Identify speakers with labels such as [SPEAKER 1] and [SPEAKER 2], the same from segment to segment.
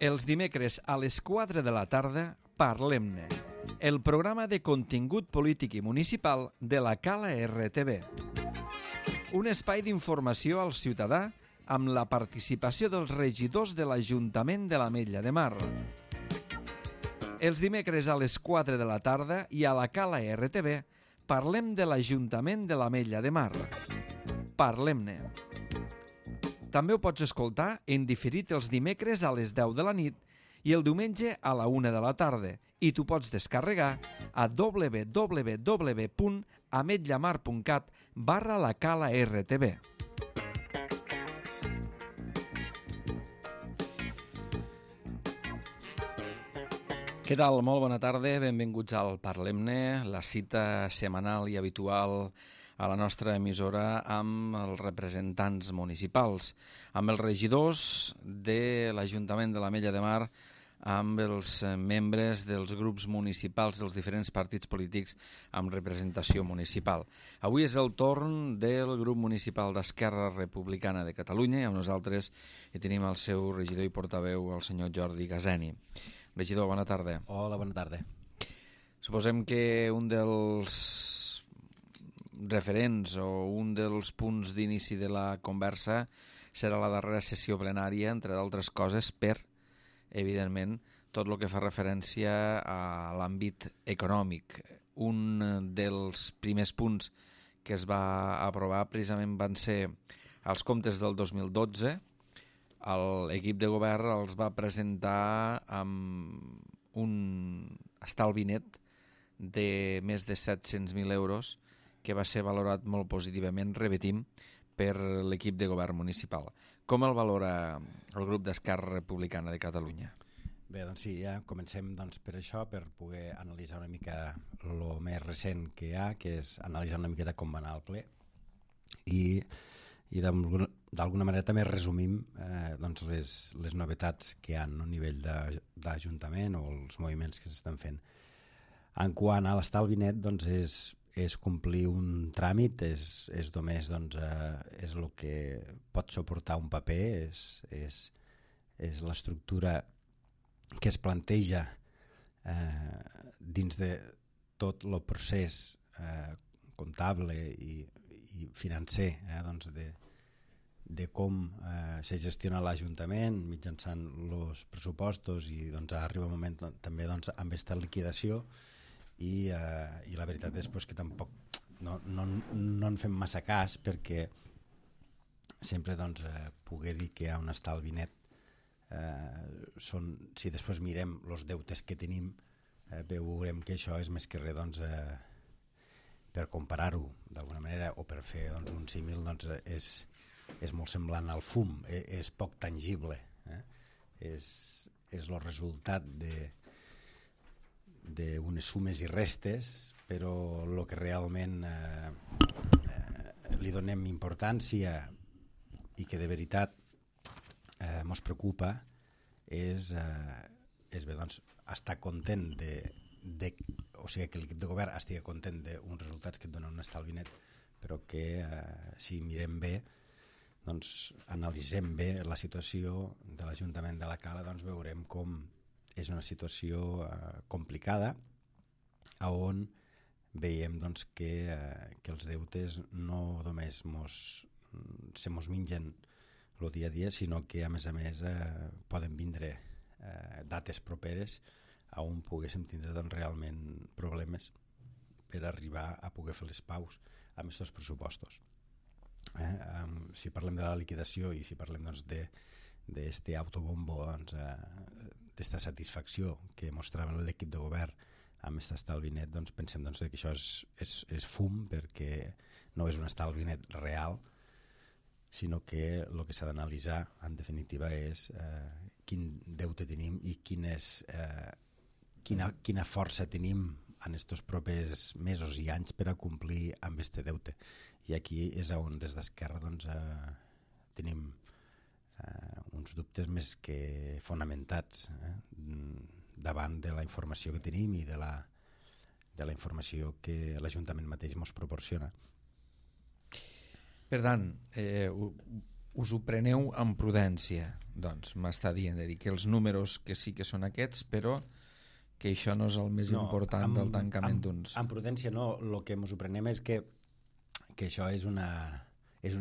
[SPEAKER 1] Els dimecres a les 4 de la tarda, Parlem-ne, el programa de contingut polític i municipal de la Cala RTV. Un espai d'informació al ciutadà amb la participació dels regidors de l'Ajuntament de l'Ametlla de Mar. Els dimecres a les 4 de la tarda i a la Cala RTV parlem de l'Ajuntament de l'Ametlla de Mar. Parlem-ne. També ho pots escoltar en diferit els dimecres a les 10 de la nit i el diumenge a la 1 de la tarda i t'ho pots descarregar a www.ametllamar.cat/la-cala-rtb. Què tal? Molt bona tarda, benvinguts al Parlem-ne, la cita setmanal i habitual a la nostra emissora amb els representants municipals, amb els regidors de l'Ajuntament de l'Ametlla de Mar, amb els membres dels grups municipals dels diferents partits polítics amb representació municipal. Avui és el torn del grup municipal d'Esquerra Republicana de Catalunya i amb nosaltres hi tenim el seu regidor i portaveu, el senyor Jordi Gaseni. Regidor, bona tarda.
[SPEAKER 2] Hola, bona tarda.
[SPEAKER 1] Suposem que un dels referents o un dels punts d'inici de la conversa serà la darrera sessió plenària, entre d'altres coses, per, evidentment, tot el que fa referència a l'àmbit econòmic. Un dels primers punts que es va aprovar precisament van ser els comptes del 2012. L'equip de govern els va presentar amb un estalvi net de més de 700.000 euros que va ser valorat molt positivament, repetim, per l'equip de govern municipal. Com el valora el grup d'Esquerra Republicana de Catalunya?
[SPEAKER 2] Bé, doncs sí, ja comencem per això, per poder analitzar una mica el més recent que hi ha, que és analitzar una miqueta com va anar el ple i d'alguna manera també resumim les novetats que hi ha a nivell d'Ajuntament o els moviments que s'estan fent. En quant a l'estalvi net, és complir un tràmit, és només és el que pot suportar un paper, és l'estructura que es planteja dins de tot el procés comptable i financer de com se gestiona l'Ajuntament mitjançant els pressupostos i arriba un moment també amb aquesta liquidació i la veritat és que tampoc no en fem massa cas perquè sempre poder dir que hi ha un estalvi net si després mirem els deutes que tenim veurem que això és més que res per comparar-ho d'alguna manera o per fer un símil és molt semblant al fum, és poc tangible, és el resultat d'unes sumes i restes, però el que realment li donem importància i que de veritat ens preocupa és estar content o sigui, que l'equip de govern estigui content d'uns resultats que et donen un estalvi net, però que si mirem bé, analitzem bé la situació de l'Ajuntament de la Cala, veurem com és una situació complicada on veiem que els deutes no només se mos mengen el dia a dia, sinó que a més poden vindre dates properes on poguéssim tindre realment problemes per arribar a poder fer les paus amb aquests pressupostos. Si parlem de la liquidació i si parlem d'aquest autobombo, d'esta satisfacció que mostrava l'equip de govern amb aquest estalvi net, pensem que això és fum, perquè no és un estalvi net real, sinó que el que s'ha d'analitzar en definitiva és quin deute tenim i quina força tenim en aquests propers mesos i anys per a complir amb aquest deute. I aquí és on des d'Esquerra tenim uns dubtes més que fonamentats davant de la informació que tenim i de la informació que l'Ajuntament mateix ens proporciona.
[SPEAKER 1] Per tant, us ho preneu amb prudència. Doncs m'està dient de dir que els números que sí que són aquests, però que això no és el més important del tancament d'uns.
[SPEAKER 2] Amb prudència no, el que ens ho prenem és que això és un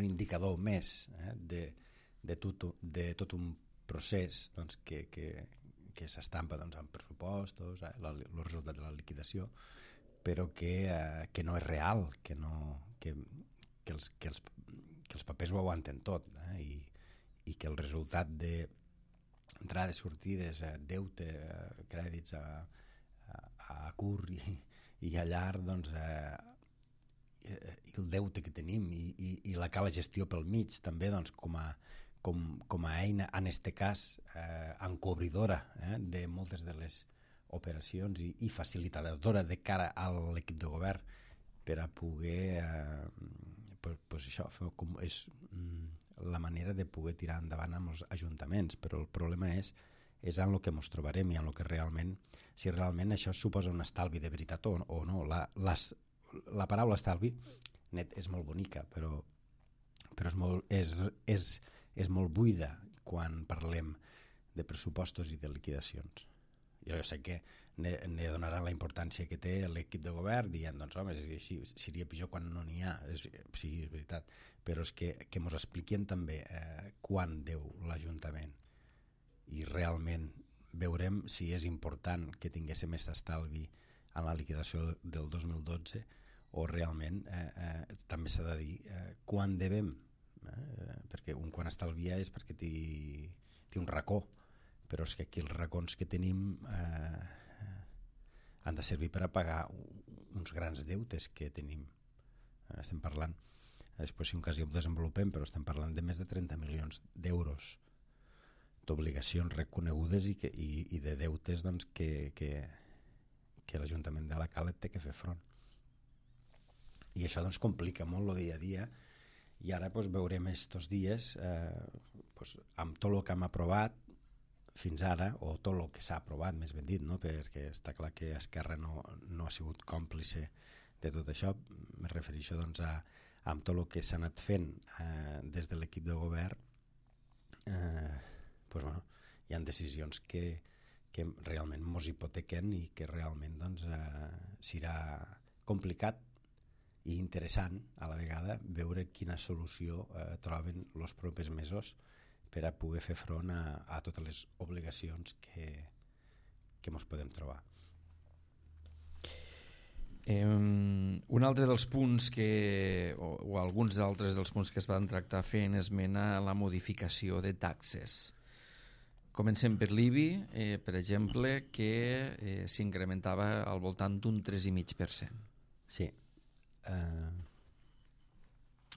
[SPEAKER 2] indicador més de tot un procés doncs, que s'estampa doncs, en pressupostos, el resultat de la liquidació, però que no és real, que els papers ho aguanten tot, i que el resultat d'entrades, sortides, deute, crèdits a curt i a llarg, doncs, i el deute que tenim i la cala gestió pel mig també, doncs, com a eina, en este cas encobridora de moltes de les operacions i facilitadora de cara a l'equip de govern per a poder pues això, és la manera de poder tirar endavant amb els ajuntaments, però el problema és en el que ens trobarem i en el que realment, si realment això suposa un estalvi de veritat o no. La paraula estalvi net és molt bonica, però és molt buida quan parlem de pressupostos i de liquidacions. Jo sé que ne donaran la importància que té l'equip de govern dient, doncs home, seria pitjor quan no n'hi ha. Sí, és veritat, però és que ens expliquin també quan deu l'Ajuntament i realment veurem si és important que tinguéssim aquest estalvi en la liquidació del 2012 o realment també s'ha de dir quan devem, perquè un quan estalvia és perquè té un racó, però és que aquí els racons que tenim han de servir per a pagar uns grans deutes que tenim. Estem parlant, després si un cas ja ho desenvolupem, però estem parlant de més de 30 milions d'euros d'obligacions reconegudes i de deutes doncs, que l'Ajuntament de la Cala té que fer front. I això doncs, complica molt el dia a dia, i ara doncs, veurem estos dies amb tot el que hem aprovat fins ara, o tot el que s'ha aprovat, més ben dit, no? Perquè està clar que Esquerra no ha sigut còmplice de tot això. Me refereixo doncs, amb tot el que s'ha anat fent des de l'equip de govern, doncs, bueno, hi ha decisions que realment ens hipotequen i que realment doncs, serà complicat i interessant a la vegada veure quina solució troben els propers mesos per a poder fer front a totes les obligacions que ens podem trobar.
[SPEAKER 1] Un altre dels punts o alguns altres dels punts que es van tractar fent esmena a la modificació de taxes. Comencem per l'IBI, per exemple, que s'incrementava al voltant d'un 3,5%.
[SPEAKER 2] Sí.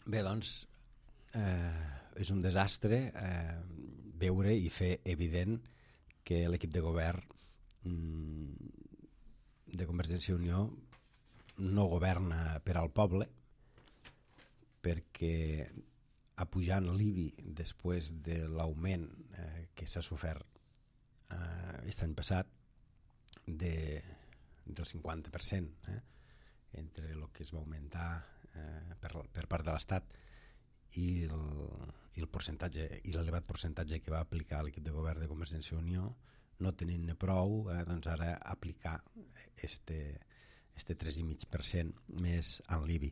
[SPEAKER 2] Bé, doncs, és un desastre veure i fer evident que l'equip de govern de Convergència i Unió no governa per al poble, perquè apujant l'IBI després de l'augment que s'ha sofert aquest any passat del 50% entre el que es va augmentar per part de l'Estat i el percentatge i l'elevat percentatge que va aplicar l'equip de govern de Convergència i Unió, no tenint-ne prou, doncs ara aplicar este 3,5% més en l'IBI.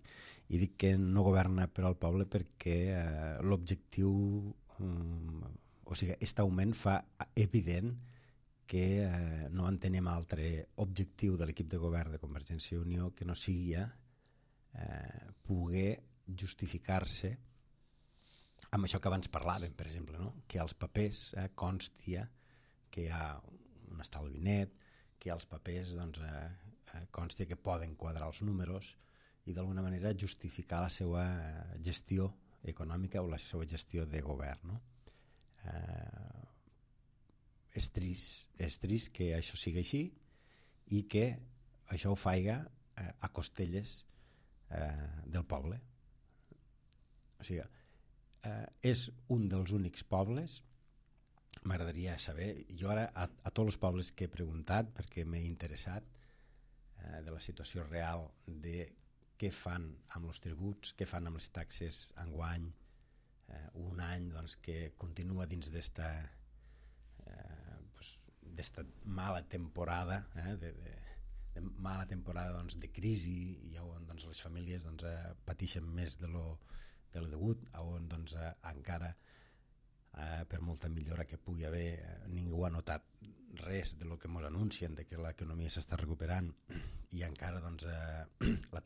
[SPEAKER 2] I dic que no governa per al poble perquè l'objectiu, o sigui, aquest augment fa evident que no entenem altre objectiu de l'equip de govern de Convergència i Unió que no sigui poder justificar-se amb això que abans parlàvem, per exemple, no? Que als papers constia que hi ha un estalvi net, que als papers doncs, constia que poden quadrar els números i d'alguna manera justificar la seva gestió econòmica o la seva gestió de govern. No? És trist que això sigui així i que això ho faiga a costelles del poble. O sigui, és un dels únics pobles, m'agradaria saber, jo ara a tots els pobles que he preguntat perquè m'he interessat de la situació real de què fan amb els tributs, què fan amb les taxes enguany, un any doncs, que continua dins d'esta mala temporada, de mala temporada doncs, de crisi, i on doncs, les famílies doncs, pateixen més de lo degut, on doncs, encara per molta millora que pugui haver, ningú ha notat res de lo que ens anuncien, de que l'economia s'està recuperant, i encara doncs, la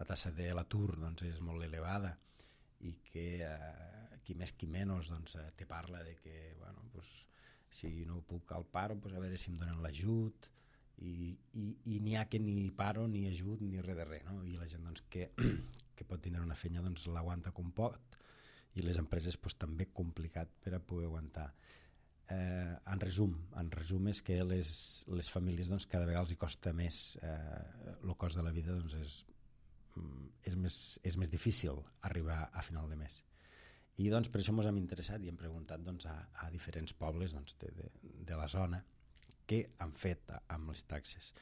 [SPEAKER 2] taxa de l'atur doncs, és molt elevada, i que qui més qui menys doncs, te parla de que bueno, pues, si no puc al paro, pues, a veure si em donen l'ajut, i n'hi ha que ni paro ni ajut ni res de res, no? I la gent doncs, que pot tindre una feina doncs, l'aguanta com pot, i les empreses pues, també complicat per a poder aguantar. En resum és que les famílies doncs, cada vegada els hi costa més, el cost de la vida doncs, és més difícil arribar a final de mes. I doncs, per això ens hem interessat i hem preguntat doncs, a diferents pobles doncs, de la zona què han fet amb les taxes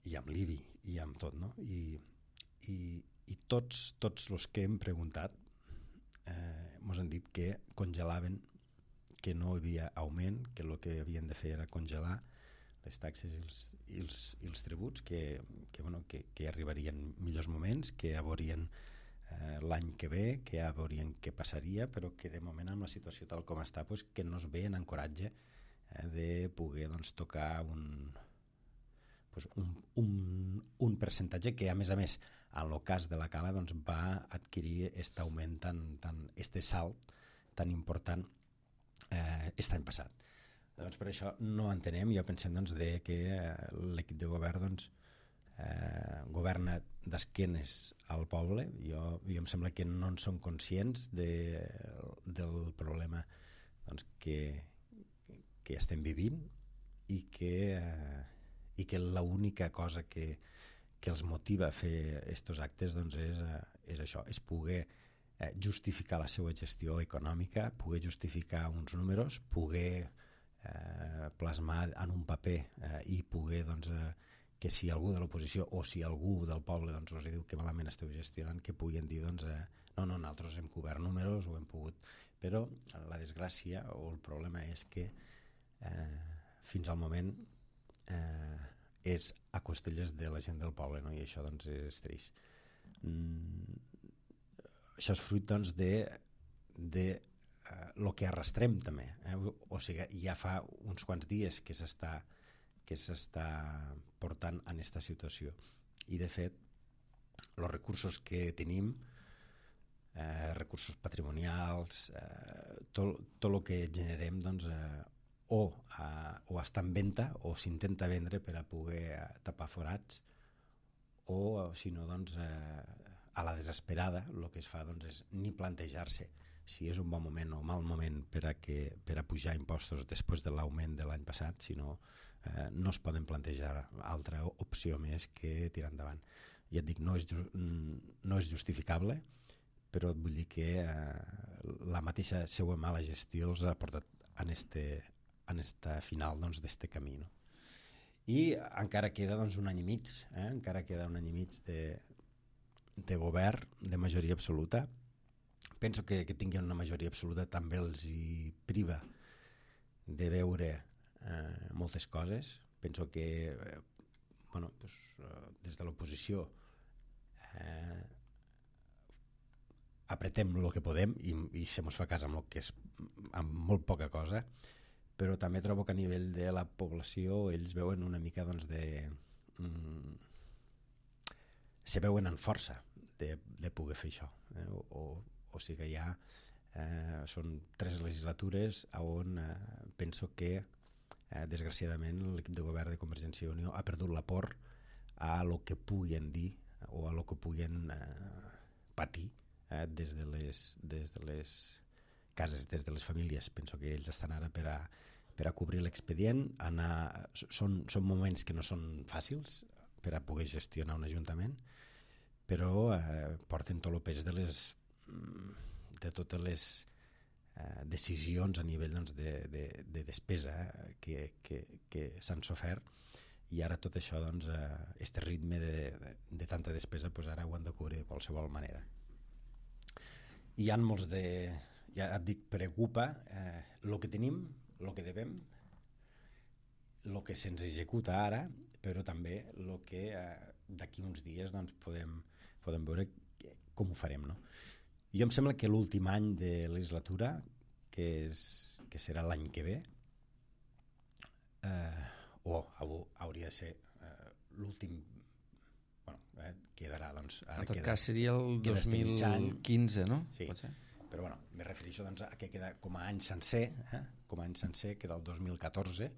[SPEAKER 2] i amb l'IBI i amb tot, no? I tots els que hem preguntat ens han dit que congelaven, que no hi havia augment, que el que havien de fer era congelar les taxes i els tributs, que arribarien millors moments, que ja veurien l'any que ve, que ja veurien què passaria, però que de moment amb la situació tal com està pues, que no es ve en encoratge de poder doncs, tocar un percentatge que a més en el cas de la Cala doncs, va adquirir aquest augment este salt tan important aquest any passat. Doncs per això no entenem, jo pensem doncs, que l'equip de govern doncs, governa d'esquenes al poble. Jo em sembla que no en són conscients del problema doncs, que estem vivint, i que l'única cosa que els motiva a fer aquests actes doncs, és això, és poder justificar la seva gestió econòmica, poder justificar uns números, poder plasmar en un paper i poder doncs, que si algú de l'oposició o si algú del poble doncs, us diu que malament esteu gestionant, que puguin dir doncs, no, nosaltres hem cobert números, ho hem pogut, però la desgràcia o el problema és que fins al moment és a costelles de la gent del poble, no? I això doncs, és trist. Això és fruit doncs, de el que arrastrem també, o sigui, ja fa uns quants dies que s'està portant en aquesta situació, i de fet els recursos que tenim, recursos patrimonials, tot el que generem doncs, o està en venda o s'intenta vendre per a poder tapar forats, o si no doncs, a la desesperada el que es fa doncs, és ni plantejar-se si és un bon moment o mal moment per a pujar impostos després de l'augment de l'any passat, sinó no es poden plantejar altra opció més que tirar endavant. Ja et dic, no és justificable, però et vull dir que la mateixa seva mala gestió els ha portat en este final doncs, d'este camí, no? I encara queda doncs, un any i mig, encara queda un any i mig de govern de majoria absoluta. Penso que tinguin una majoria absoluta també els hi priva de veure moltes coses. Penso que des de l'oposició apretem el que podem i se mos fa cas amb molt poca cosa, però també trobo que a nivell de la població ells veuen una mica doncs, se veuen en força de poder fer això, o sigui ja són 3 legislatures on penso que desgraciadament l'equip de govern de Convergència i Unió ha perdut la por a lo que puguin dir o a lo que puguin patir des de les cases, des de les famílies. Penso que ells estan ara per a cobrir l'expedient. Són moments que no són fàcils per a poder gestionar un ajuntament, però porten tot el pes de totes les decisions a nivell doncs, de despesa que s'han sofert, i ara tot això, doncs, este ritme de tanta despesa, doncs ara ho han de cobrir de qualsevol manera. hi ha molts de... Ja et dic, preocupa el que tenim, el que devem, el que se'ns executa ara, però també el que d'aquí uns dies doncs, podem veure com ho farem. No? Jo em sembla que l'últim any de legislatura, que serà l'any que ve, hauria de ser l'últim, quedarà, doncs, ara
[SPEAKER 1] en tot cas seria el
[SPEAKER 2] queda
[SPEAKER 1] 2015, no?
[SPEAKER 2] Sí,
[SPEAKER 1] pot ser?
[SPEAKER 2] però bueno, me refereixo doncs, a que queda com a any sencer, com a any sencer queda el 2014,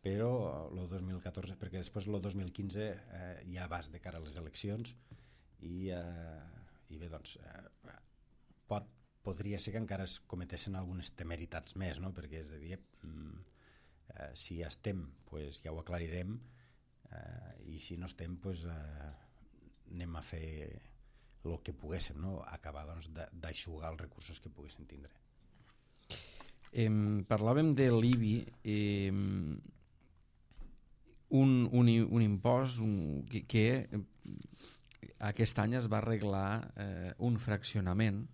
[SPEAKER 2] però el 2014, perquè després el 2015 ja vas de cara a les eleccions i bé, doncs podria ser que encara es cometessin algunes temeritats més, no? Perquè és a dir, si estem pues, ja ho aclarirem, i si no estem pues, anem a fer el que poguéssim, no? Acabar doncs, d'aixugar els recursos que poguéssim tindre.
[SPEAKER 1] Parlàvem de l'IBI, un impost que aquest any es va arreglar un fraccionament.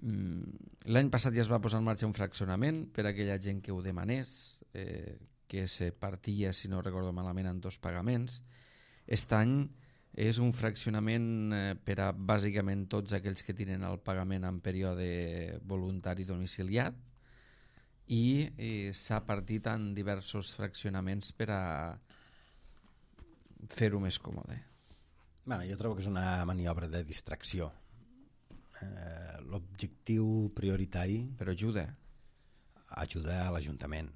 [SPEAKER 1] L'any passat ja es va posar en marxa un fraccionament per a aquella gent que ho demanés, que se partia, si no recordo malament, en 2 pagaments. Aquest any és un fraccionament per a bàsicament tots aquells que tenen el pagament en període voluntari domiciliat i s'ha partit en diversos fraccionaments per a fer-ho més còmode.
[SPEAKER 2] Bueno, jo trobo que és una maniobra de distracció. L'objectiu prioritari...
[SPEAKER 1] Però ajuda.
[SPEAKER 2] Ajuda a l'Ajuntament.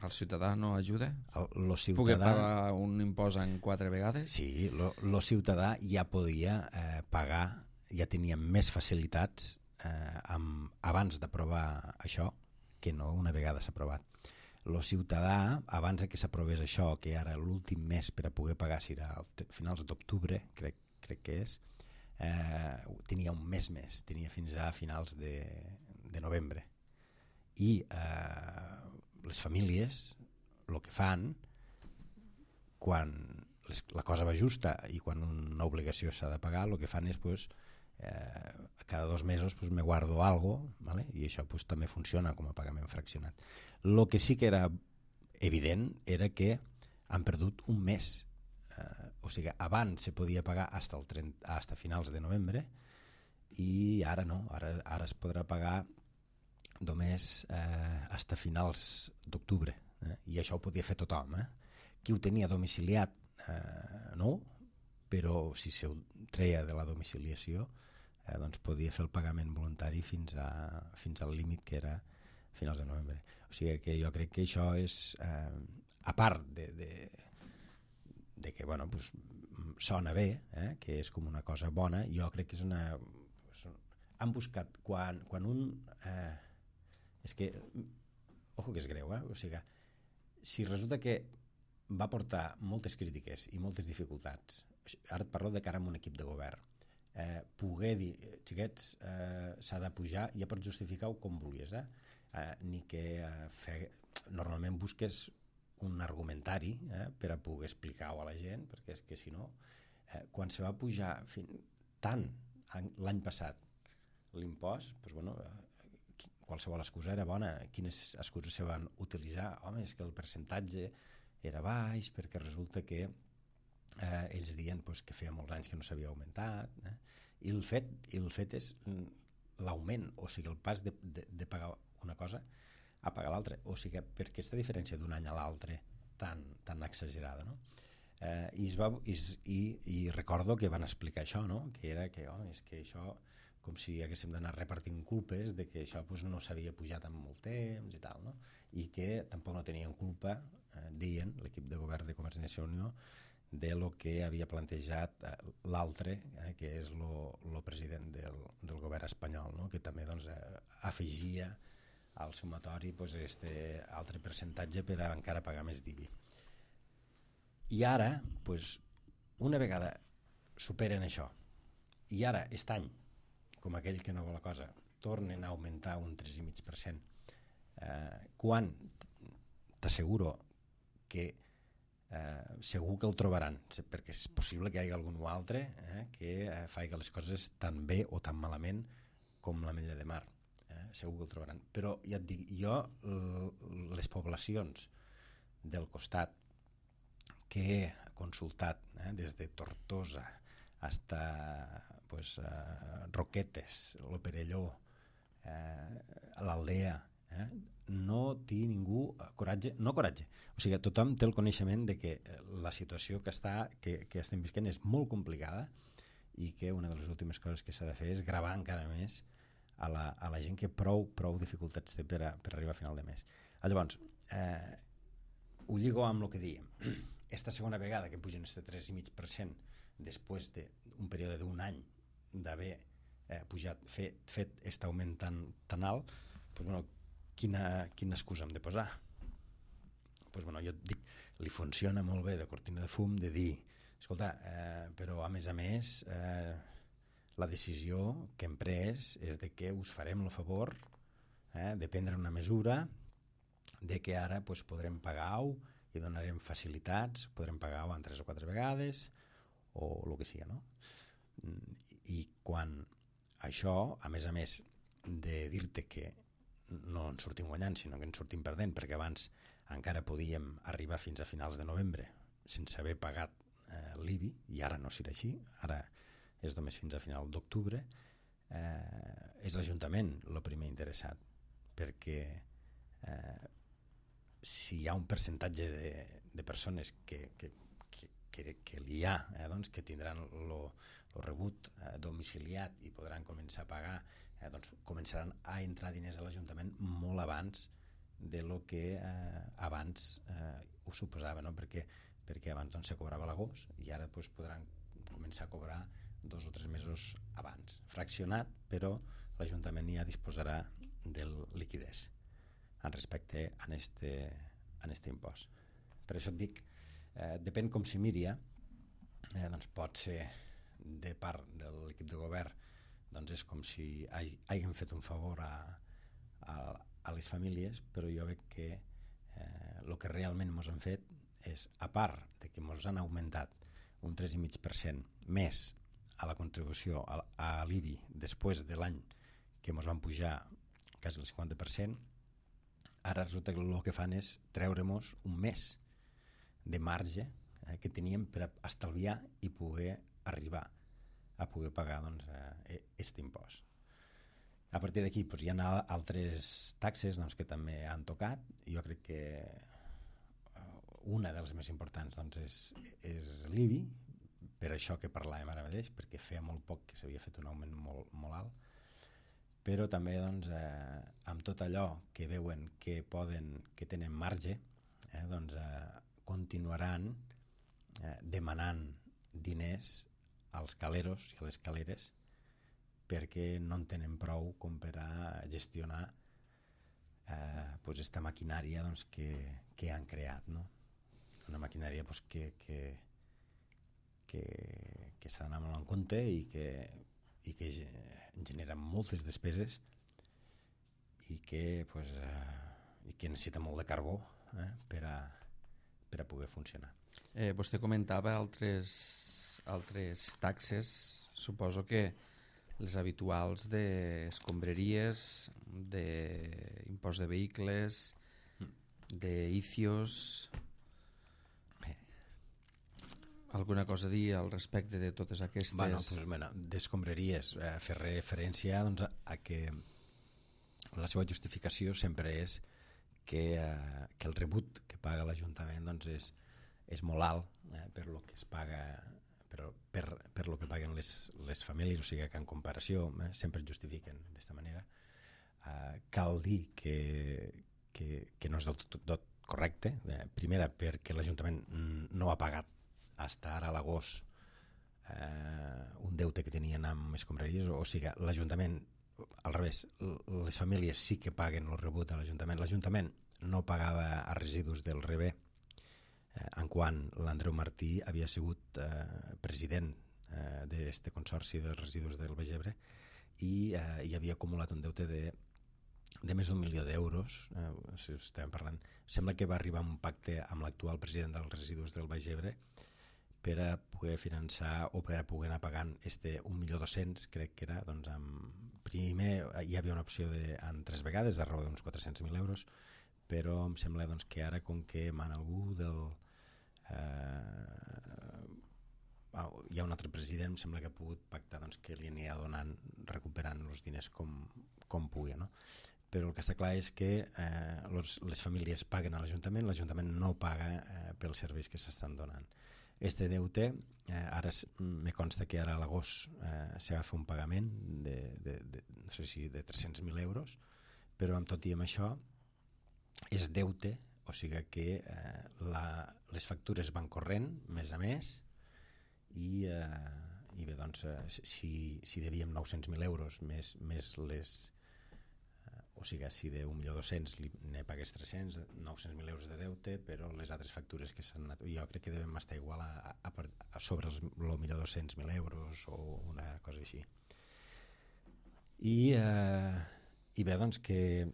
[SPEAKER 1] El ciutadà no ajuda?
[SPEAKER 2] El ciutadà...
[SPEAKER 1] Poder pagar un impost en 4 vegades?
[SPEAKER 2] Sí, el ciutadà ja podia pagar, ja tenia més facilitats abans d'aprovar això que no una vegada s'ha aprovat. El ciutadà, abans que s'aprovés això, que ara l'últim mes per a poder pagar, si era a finals d'octubre, crec que és, tenia un mes més, tenia fins a finals de novembre. I les famílies el que fan quan la cosa va justa i quan una obligació s'ha de pagar, el que fan és pues, cada 2 mesos pues, me guardo algo, ¿vale? I això pues, també funciona com a pagament fraccionat. El que sí que era evident era que han perdut un mes, o sigui, abans se podia pagar hasta finals de novembre i ara no, ara es podrà pagar només hasta finals d'octubre, i això ho podia fer tothom. Qui ho tenia domiciliat no, però si se ho treia de la domiciliació doncs podia fer el pagament voluntari fins al límit que era finals de novembre. O sigui que jo crec que això és, a part de que bueno, pues, sona bé, que és com una cosa bona, jo crec que és una... Han buscat, quan un... és que, ojo que és greu, o sigui, si resulta que va portar moltes crítiques i moltes dificultats, ara et parlo de cara a un equip de govern, poder dir, xiquets, s'ha de pujar, ja pots justificar-ho com volies, ni que normalment busques un argumentari per a poder explicar-ho a la gent, perquè és que si no, quan se va pujar tant l'any passat l'impost, doncs, bueno, qualsevol excusa era bona. Quines excuses se van utilitzar? Home, és que el percentatge era baix perquè resulta que ells diuen pues, que feia molts anys que no s'havia augmentat, i el fet és l'augment, o sigui, el pas de pagar una cosa a pagar l'altra, o sigui, per aquesta diferència d'un any a l'altre tan exagerada, no? I recordo que van explicar això, no? Que era que, home, és que això com si haguéssim d'anar repartint culpes de que això pues, no s'havia pujat en molt temps i tal, no? I que tampoc no tenien culpa, deien l'equip de govern de Convergència i Unió, de lo que havia plantejat l'altre, que és el president del govern espanyol, no? Que també doncs, afegia al sumatori pues, este altre percentatge per a encara pagar més d'IBI. I ara, pues, una vegada superen això, i ara, aquest any, com aquell que no vol la cosa, tornen a augmentar un 3,5%, quan t'asseguro que segur que el trobaran, perquè és possible que hi hagi algun altre que faci les coses tan bé o tan malament com l'Ametlla de Mar. Segur que el trobaran. Però ja et dic, jo les poblacions del costat que he consultat, des de Tortosa hasta Roquetes, lo Perelló, l'Aldea, no té ningú coratge, o sigui, tothom té el coneixement de que la situació que estem visquent és molt complicada i que una de les últimes coses que s'ha de fer és gravar encara més a la gent que prou dificultats té per arribar a final de mes. Llavors, ho lligo amb el que dèiem. Esta segona vegada que pugen este 3,5% després d'un període d'un any d'haver pujat, fet aquest augment tan alt, quina excusa hem de posar? Jo et dic, li funciona molt bé de cortina de fum de dir, escolta, però a més la decisió que hem pres és de que us farem el favor de prendre una mesura de que ara podrem pagar-ho i donarem facilitats, podrem pagar-ho en 3 o 4 vegades o el que sigui, no? I quan això, a més de dir-te que no ens sortim guanyant, sinó que ens sortim perdent, perquè abans encara podíem arribar fins a finals de novembre sense haver pagat l'IBI, i ara no serà així, ara és només fins a final d'octubre, és l'Ajuntament el primer interessat, perquè si hi ha un percentatge de persones que hi ha, que tindran el rebut domiciliat i podran començar a pagar, començaran a entrar diners a l'Ajuntament molt abans de lo que abans ho suposava, no? Perquè abans se cobrava a l'agost i ara podran començar a cobrar 2 o 3 mesos abans, fraccionat, però l'Ajuntament ja disposarà del liquidez en respecte a este impost. Per això et dic, depèn com s'hi miri, pot ser de part de l'equip de govern, és com si hagin fet un favor a les famílies, però jo veig que el que realment ens han fet és, a part de que ens han augmentat un 3,5% més a la contribució a l'IBI després de l'any que ens van pujar quasi el 50%, ara resulta que el que fan és treure-nos un mes de marge que teníem per estalviar i poder arribar a poder pagar aquest impost. A partir d'aquí hi ha altres taxes que també han tocat. Jo crec que una de les més importants és l'IBI, per això que parlàvem ara mateix, perquè feia molt poc que s'havia fet un augment molt alt, però també amb tot allò que veuen que tenen marge, continuaran demanant diners als caleros i a les caleres perquè no en tenen prou com per a gestionar esta maquinària que han creat, no? Una maquinària que s'ha d'anar molt en compte i que genera moltes despeses i que necessita molt de carbó per a poder funcionar.
[SPEAKER 1] Vostè comentava altres taxes, suposo que les habituals d'escombraries, d'impost de vehicles, d'ICIOs. Alguna cosa a dir al respecte de totes aquestes?
[SPEAKER 2] D'escombraries, fer referència a que la seva justificació sempre és que el rebut que paga l'Ajuntament és molt alt per lo que es paga, per lo que paguen les famílies, o sigui que en comparació sempre es justifiquen d'esta manera. Cal dir que no és del tot correcte, primera perquè l'Ajuntament no ha pagat fins ara a l'agost un deute que tenien amb escombraries, o sigui, l'Ajuntament, al revés, les famílies sí que paguen el rebut a l'Ajuntament. L'Ajuntament no pagava a residus del Rebé en quan l'Andreu Martí havia sigut president d'aquest consorci dels residus del Baix Ebre i havia acumulat un deute de de més d'1 milió d'euros, si estem parlant, sembla que va arribar a un pacte amb l'actual president dels residus del Baix Ebre per a poder finançar o per a poder anar pagant 1.200.000, crec que era, doncs primer hi havia una opció en 3 vegades, a raó d'uns 400.000 euros, però em sembla doncs, que ara, com que mana algú hi ha un altre president, em sembla que ha pogut pactar doncs, que li anirà recuperant els diners com pugui, no? Però el que està clar és que les famílies paguen a l'Ajuntament no paga pels serveis que s'estan donant. Este deute, ara me consta que ara a l'agost s'ha de fer un pagament no sé si de 300.000 euros, però amb tot i amb això és deute, o sigui que les factures van corrent mes a mes i bé, doncs, si devíem 900.000 euros més les o sigui, si de 1.200.000 ne pagués 300, 900.000 euros de deute, però les altres factures que s'han anat, jo crec que devem estar igual a sobre els 1.200.000 euros o una cosa així. I bé, doncs que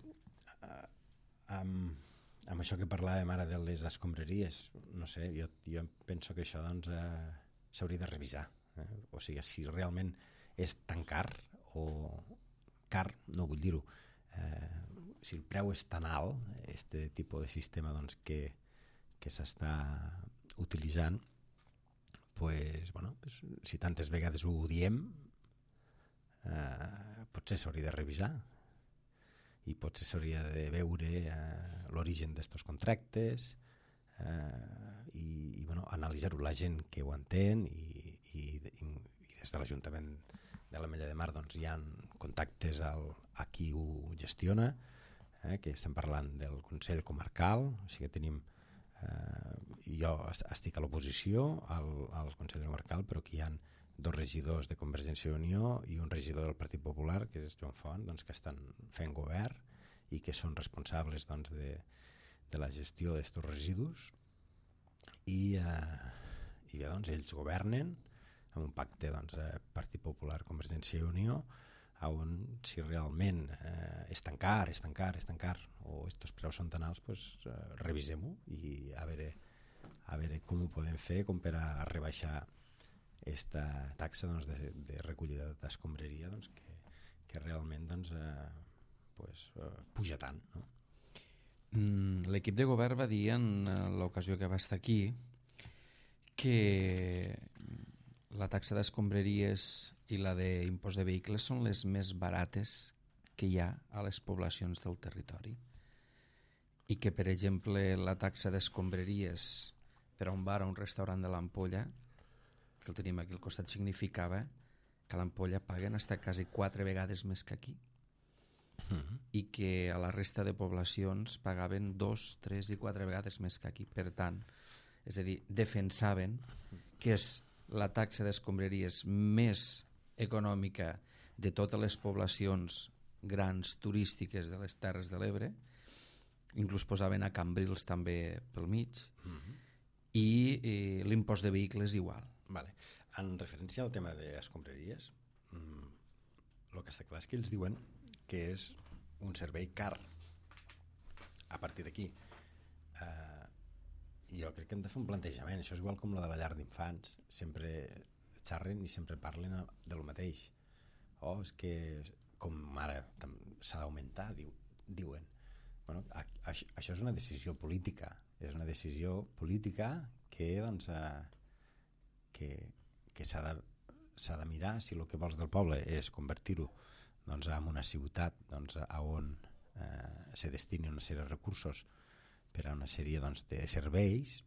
[SPEAKER 2] amb això que parlàvem ara de les escombraries, no sé, jo penso que això doncs s'hauria de revisar, o sigui, si realment és tan car, o car no vull dir-ho, si el preu és tan alt, este tipus de sistema doncs, que s'està utilitzant, pues, bueno, si tantes vegades ho diem, potser s'hauria de revisar i potser s'hauria de veure l'origen d'estos contractes i bueno, analitzar-ho, la gent que ho entén i des de l'Ajuntament de l'Ametlla de Mar doncs, hi ha contactes a qui ho gestiona, que estem parlant del Consell Comarcal, o sigui que tenim jo estic a l'oposició al Consell Comarcal, però que hi ha 2 regidors de Convergència i Unió i un regidor del Partit Popular, que és Joan Font, doncs, que estan fent govern i que són responsables doncs, de la gestió d'aquests residus i bé, doncs, ells governen amb un pacte doncs, Partit Popular, Convergència i Unió, on si realment és tan car o aquests preus són tan alts, pues, revisem-ho i a veure com ho podem fer com per a rebaixar aquesta taxa doncs, de recollida d'escombraria doncs, que realment doncs, puja tant, no?
[SPEAKER 1] L'equip de govern va dir en l'ocasió que va estar aquí que la taxa d'escombraries i la d'impost de vehicles són les més barates que hi ha a les poblacions del territori i que, per exemple, la taxa d'escombraries per a un bar o un restaurant de l'Ampolla, que el tenim aquí al costat, significava que a l'Ampolla paguen fins quasi 4 vegades més que aquí i que a la resta de poblacions pagaven 2, 3 i 4 vegades més que aquí. Per tant, és a dir, defensaven que és la taxa d'escombraries més econòmica de totes les poblacions grans turístiques de les Terres de l'Ebre, inclús posaven a Cambrils també pel mig, i l'impost de vehicles igual.
[SPEAKER 2] Vale. En referència al tema d'escombraries, el que està clar és que ells diuen que és un servei car. A partir d'aquí jo crec que hem de fer un plantejament. Això és igual com la de la llar d'infants, sempre xerren i sempre parlen del mateix. És que com ara s'ha d'augmentar, diuen. Bueno, això és una decisió política, que doncs que s'ha de mirar si el que vols del poble és convertir-ho doncs, en una ciutat doncs, on se destini una sèrie de recursos per a una sèrie doncs, de serveis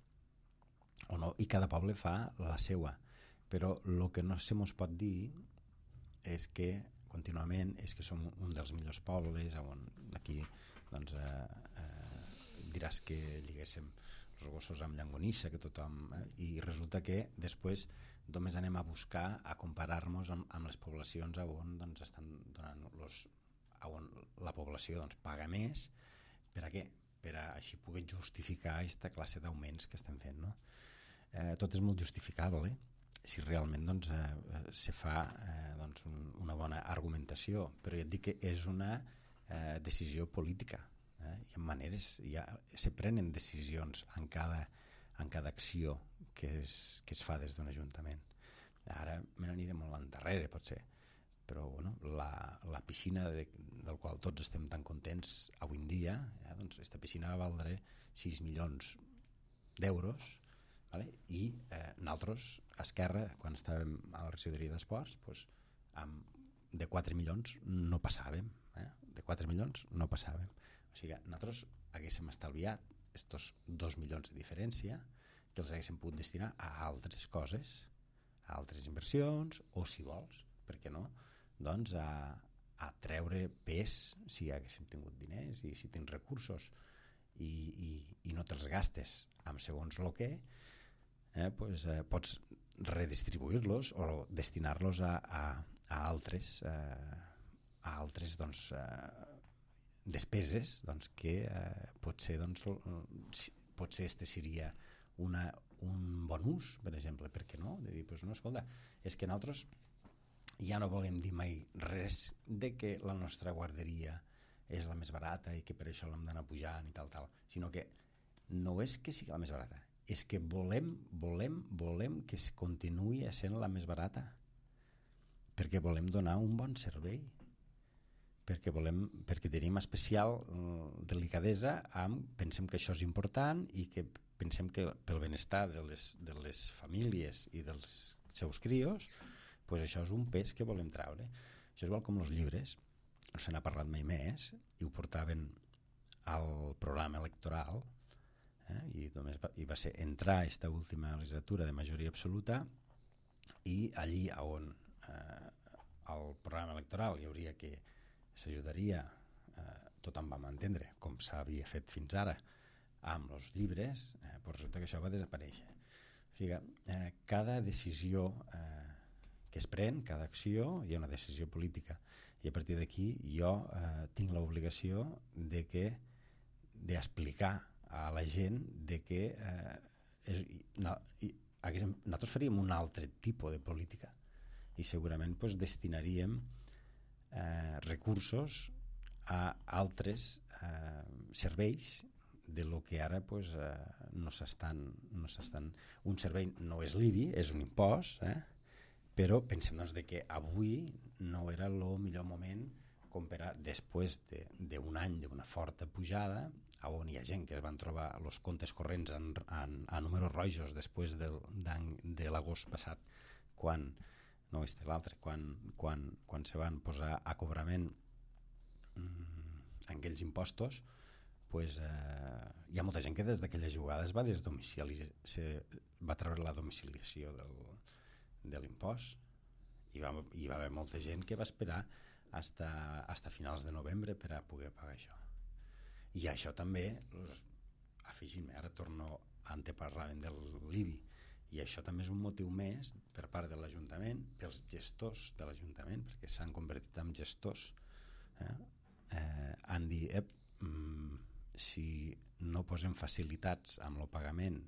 [SPEAKER 2] o no, i cada poble fa la seva, però el que no se mos pot dir és que contínuament és que som un dels millors pobles, on aquí doncs, diràs que lliguéssim els gossos amb llangonissa, que tothom, i resulta que després només anem a buscar a comparar-nos amb les poblacions on doncs, estan donant on la població doncs, paga més. Per a què? Per a així poder justificar aquesta classe d'augments que estem fent, no? Tot és molt justificable si realment doncs, se fa doncs, una bona argumentació, però ja et dic que és una decisió política, hi ha maneres, se prenen decisions en cada acció que es fa des d'un ajuntament. Ara me n'aniré molt endarrere, potser, però bueno, la piscina del qual tots estem tan contents avui en dia, doncs aquesta piscina va valdre 6 milions d'euros, vale? I nosaltres, a Esquerra, quan estàvem a la regidoria d'esports, doncs, de 4 milions no passàvem, de 4 milions no passàvem. O sigui, nosaltres haguéssim estalviat estos 2 milions de diferència que els haguéssim pogut destinar a altres coses, a altres inversions, o si vols, per què no, doncs a treure pes si haguéssim tingut diners i si tens recursos i no te'ls gastes amb segons el que, pues, pots redistribuir-los o destinar-los a altres doncs, despeses doncs, que potser este seria un bon ús, per exemple, per què no? De dir, pues, no, escolta, és que nosaltres ja no volem dir mai res de que la nostra guarderia és la més barata i que per això l'hem d'anar pujant i tal, sinó que no és que sigui la més barata, és que volem que es continuï sent la més barata, perquè volem donar un bon servei, perquè tenim especial delicadesa pensem que això és important i que pensem que pel benestar de les famílies i dels seus crios, pues això és un pes que volem treure. Això és igual com els llibres, no se n'ha parlat mai més, i ho portaven al programa electoral, i només va ser entrar aquesta última legislatura de majoria absoluta, i allí on al programa electoral hi hauria que s'ajudaria, tothom vam entendre, com s'havia fet fins ara, amb els llibres, però resulta que això va desaparèixer. O sigui, cada decisió que es pren, cada acció, hi ha una decisió política, i a partir d'aquí jo tinc l'obligació d'explicar a la gent de que nosaltres faríem un altre tipus de política i segurament pues, destinaríem recursos a altres serveis de lo que ara pues, no s'estan. Un servei no és l'IBI, és un impost, però pensem doncs, que avui no era el millor moment com per després d'un any d'una forta pujada, on hi ha gent que es van trobar els comptes corrents a números rojos després de l'agost passat, quan se van posar a cobrament aquells impostos, pues, hi ha molta gent que des d'aquella jugada es va va treure la domiciliació de l'impost, i va haver molta gent que va esperar hasta finals de novembre per a poder pagar això. I això també, afegim, ara torno a anteparlàvem de l'IBI, i això també és un motiu més per part de l'Ajuntament, pels gestors de l'Ajuntament, perquè s'han convertit en gestors, han dit si no posem facilitats amb el pagament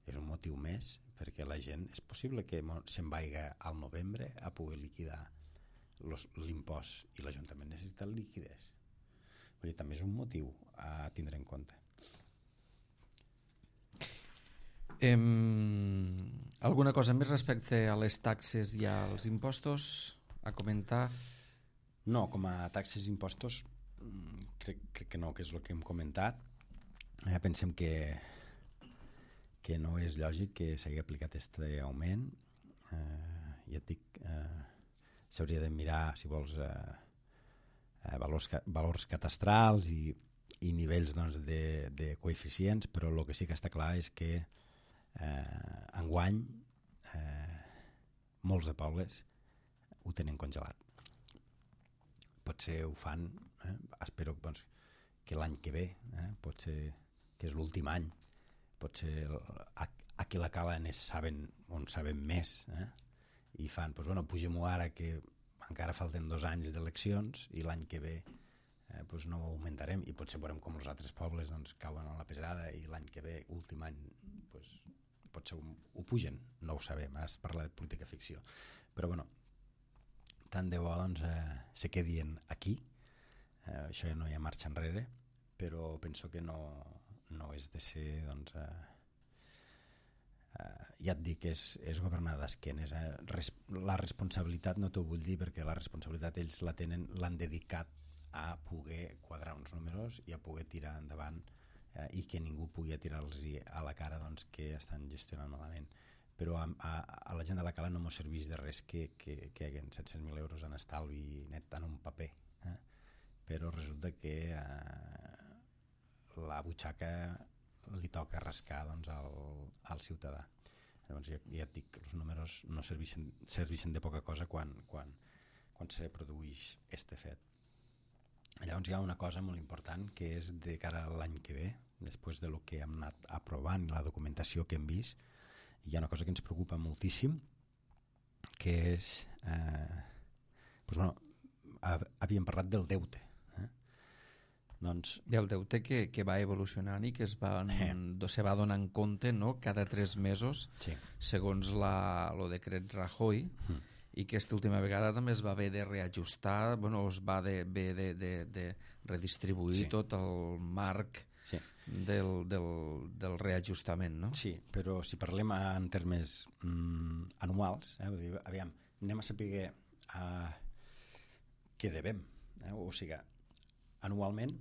[SPEAKER 2] és un motiu més perquè la gent és possible que se'n vagi al novembre a poder liquidar l'impost i l'Ajuntament necessita liquiditat. També és un motiu a tindre en compte.
[SPEAKER 1] Alguna cosa més respecte a les taxes i als impostos a comentar?
[SPEAKER 2] No, com a taxes i impostos crec que no, que és el que hem comentat. Pensem que no és lògic que s'hagi aplicat aquest augment. Ja et dic, s'hauria de mirar, si vols, valors catastrals i nivells doncs, de coeficients, però el que sí que està clar és que enguany molts de pobles ho tenen congelat. Potser ho fan, espero doncs, que l'any que ve, potser que és l'últim any, potser aquí a la Cala on saben més, i fan, doncs, bueno, pugem-ho ara que encara falten 2 anys d'eleccions i l'any que ve doncs no ho augmentarem, i potser veurem com els altres pobles doncs, cauen a la pesada i l'any que ve, últim any, doncs, potser ho pugen, no ho sabem, es parla de política ficció, però bueno, tant de bo doncs, se quedin aquí, això ja no hi ha marxa enrere, però penso que no és de ser, doncs, ja et dic, és governar d'esquenes. La responsabilitat no t'ho vull dir, perquè la responsabilitat ells l'han dedicat a poder quadrar uns números i a poder tirar endavant, i que ningú pugui tirar-los a la cara, doncs, que estan gestionant malament. Però a la gent de la Cala no m'ho serveix de res que hi hagin 700.000 euros en estalvi net en un paper, però resulta que la butxaca li toca rascar, doncs, al ciutadà. Llavors ja et dic que els números no serveixen de poca cosa quan se produeix este fet. Llavors hi ha una cosa molt important, que és de cara a l'any que ve, després de lo que hem anat aprovant i la documentació que hem vist, hi ha una cosa que ens preocupa moltíssim, que és havíem parlat del deute, doncs,
[SPEAKER 1] del deute que va evolucionant i que se va donant compte, no?, cada 3 mesos,
[SPEAKER 2] sí,
[SPEAKER 1] segons el decret Rajoy, i que aquesta última vegada també es va haver de reajustar, es va haver de redistribuir, sí, tot el marc, sí, del reajustament, no?
[SPEAKER 2] Sí, però si parlem en termes anuals, vull dir, aviam, anem a saber què devem, o sigui, anualment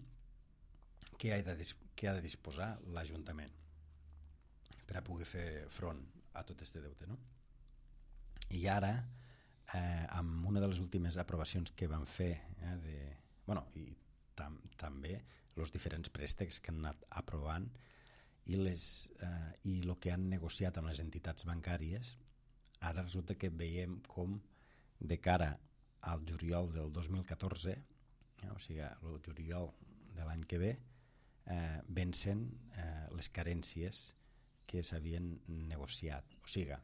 [SPEAKER 2] què ha de disposar l'Ajuntament per a poder fer front a tot este deute, no? I ara, amb una de les últimes aprovacions que van fer, i també els diferents préstecs que han anat aprovant i el que han negociat amb les entitats bancàries, ara resulta que veiem com de cara al juliol del 2014, o sigui, el juliol de l'any que ve, vencen les carències que s'havien negociat. O sigui,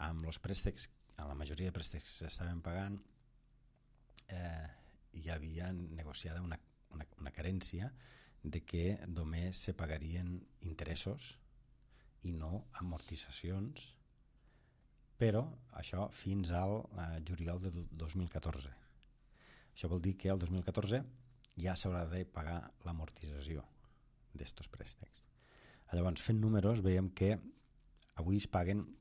[SPEAKER 2] amb els préstecs, amb la majoria de préstecs que s'estaven pagant, hi havia negociada una carència de que només se pagarien interessos i no amortitzacions, però això fins al juliol de 2014. Això vol dir que el 2014 ja s'haurà de pagar l'amortització d'estos préstecs. Llavors, fent números, veiem que avui es paguen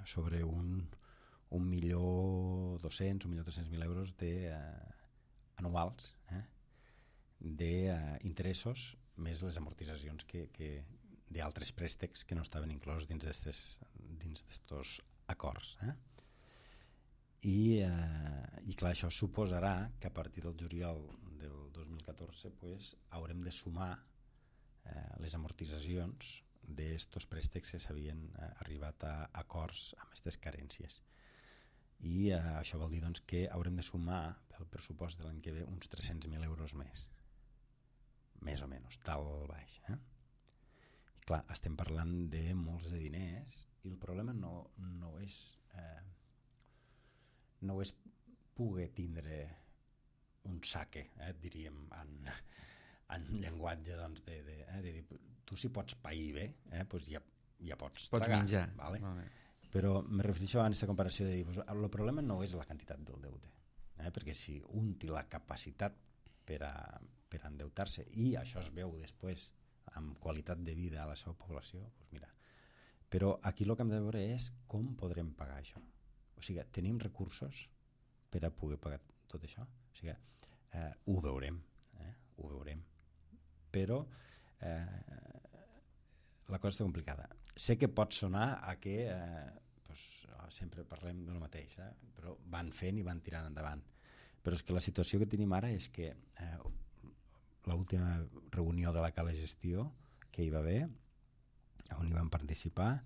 [SPEAKER 2] sobre 1.200.000, 1.300.000 euros anuals d'interessos, més les amortitzacions d'altres préstecs que no estaven inclosos dins d'estos acords. I clar, això suposarà que a partir del juliol del 2014 haurem de sumar les amortitzacions d'estos préstecs que s'havien arribat a acords amb aquestes carències. I això vol dir, doncs, que haurem de sumar pel pressupost de l'any que ve uns 300.000 euros més o menys, tal baix. I clar, estem parlant de molts de diners i el problema no és poder tindre un saque, diríem, en llenguatge, doncs, de dir, tu si pots pair bé, doncs ja pots tragar,
[SPEAKER 1] menjar,
[SPEAKER 2] vale? Però me refereixo a aquesta comparació de dir, el problema no és la quantitat del deute, perquè si un té la capacitat per endeutar-se i això es veu després amb qualitat de vida a la seva població, doncs mira. Però aquí el que hem de veure és com podrem pagar això. O sigui, tenim recursos per a poder pagar tot això? O sigui, ho veurem, però la cosa està complicada. Sé que pot sonar a que sempre parlem del mateix, però van fent i van tirant endavant. Però és que la situació que tenim ara és que l'última reunió de la Cala Gestió que hi va haver, on hi van participar,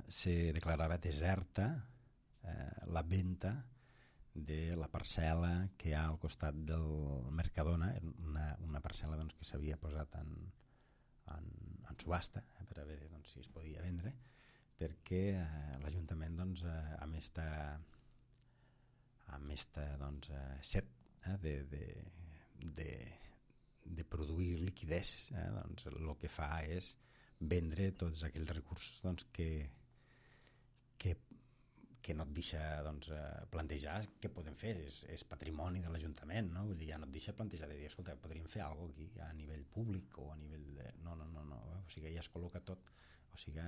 [SPEAKER 2] se declarava deserta la venda de la parcel·la que hi ha al costat del Mercadona, una parcel·la, doncs, que s'havia posat en subhasta per a veure, doncs, si es podia vendre, perquè l'Ajuntament, doncs, amb esta doncs, set de produir liquidez, doncs, el que fa és vendre tots aquells recursos, doncs, que que no et deixa doncs, plantejar què podem fer, és patrimoni de l'Ajuntament, no? Vull dir, ja no et deixa plantejar de dir, escolta, podríem fer alguna cosa aquí a nivell públic o a nivell de... No, o sigui, ja es col·loca tot, o sigui,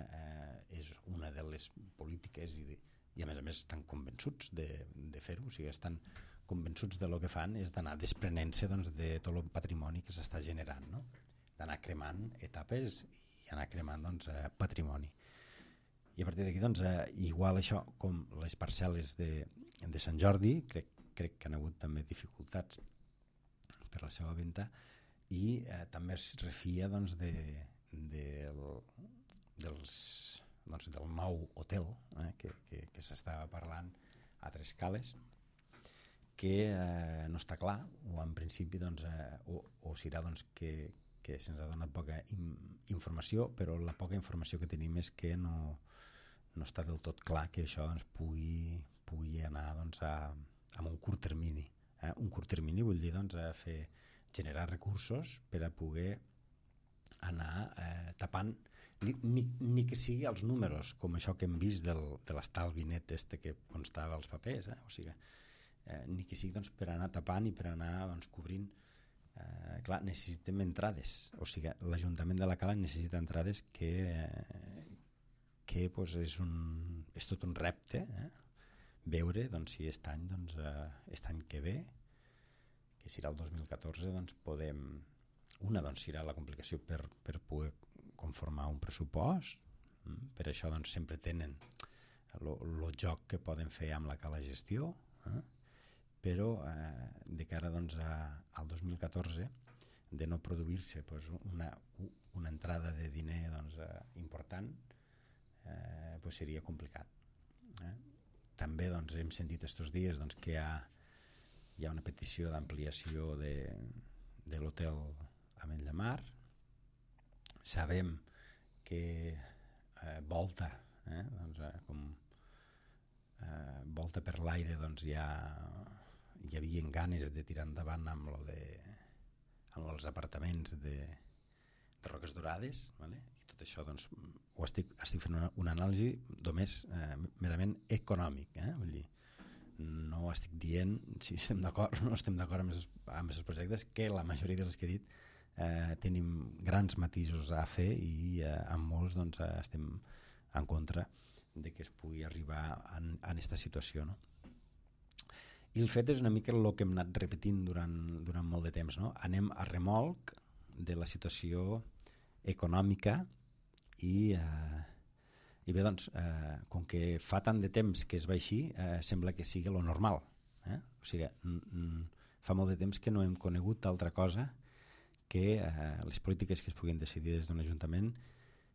[SPEAKER 2] és una de les polítiques i a més estan convençuts de fer-ho, o sigui, estan convençuts de lo que fan és d'anar desprenent-se doncs, de tot el patrimoni que s'està generant, no? D'anar cremant etapes i anar cremant doncs, patrimoni. I a partir d'aquí, doncs, igual això com les parcel·les de Sant Jordi, crec que han hagut també dificultats per la seva venda i també es refia doncs, del nou hotel que s'estava parlant a Tres Cales, que no està clar, o en principi doncs, o serà doncs, que se'ns ha donat poca informació, però la poca informació que tenim és que no està del tot clar que això doncs, pugui anar doncs, amb un curt termini. Un curt termini vull dir doncs, generar recursos per a poder anar tapant ni que sigui els números, com això que hem vist de l'estalvi net que constava als papers, o sigui, ni que sigui doncs, per anar tapant i per anar doncs, cobrint. Clar, necessitem entrades, o sigui, l'Ajuntament de la Cala necessita entrades que pues, és tot un repte, veure doncs, si aquest any, doncs, aquest any que ve, que serà el 2014, doncs, podem... Una doncs, serà la complicació per poder conformar un pressupost, per això doncs, sempre tenen el joc que poden fer amb la Cala Gestió, però de cara doncs, al 2014 de no produir-se doncs, una entrada de diner doncs, important, doncs seria complicat. També doncs, hem sentit estos dies doncs, que hi ha una petició d'ampliació de l'hotel Ametlla Mar. Sabem que Volta, doncs, com Volta per l'aire, doncs, hi havia ganes de tirar endavant amb els apartaments de Roques Dorades, vale? I tot això doncs, ho estic fent una anàlisi només merament econòmic, vull dir, no estic dient si estem d'acord o no estem d'acord amb aquests projectes, que la majoria dels que he dit tenim grans matisos a fer i amb molts doncs, estem en contra de que es pugui arribar a aquesta situació, no? I el fet és una mica el que hem anat repetint durant molt de temps, no? Anem a remolc de la situació econòmica i bé, doncs, com que fa tant de temps que es va així, sembla que sigui lo normal. O sigui, fa molt de temps que no hem conegut altra cosa que les polítiques que es puguin decidir des d'un ajuntament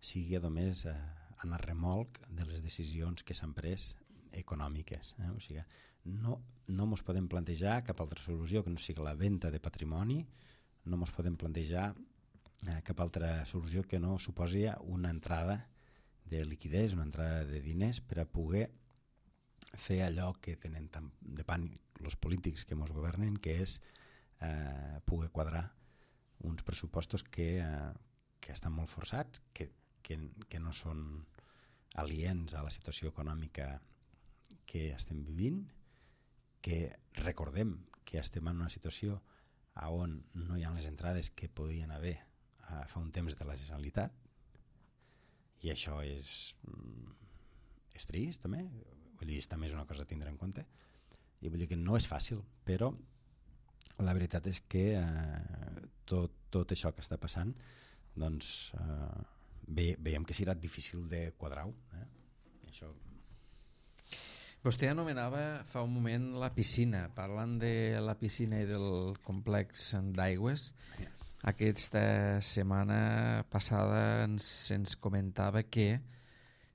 [SPEAKER 2] sigui només anar a remolc de les decisions que s'han pres econòmiques. O sigui, no ens podem plantejar cap altra solució que no sigui la venda de patrimoni, no ens podem plantejar cap altra solució que no suposi una entrada de liquidez, una entrada de diners per a poder fer allò que tenen tant de pànic els polítics que ens governen, que és poder quadrar uns pressupostos que estan molt forçats, que no són aliens a la situació econòmica que estem vivint, que recordem que estem en una situació on no hi ha les entrades que podien haver fa un temps de la Generalitat, i això és trist també, vull dir, també és una cosa a tindre en compte, i vull dir que no és fàcil, però la veritat és que tot això que està passant doncs veiem que serà difícil de quadrar-ho, això.
[SPEAKER 1] Vostè anomenava fa un moment la piscina, parlant de la piscina i del complex d'aigües. Aquesta setmana passada se'ns comentava que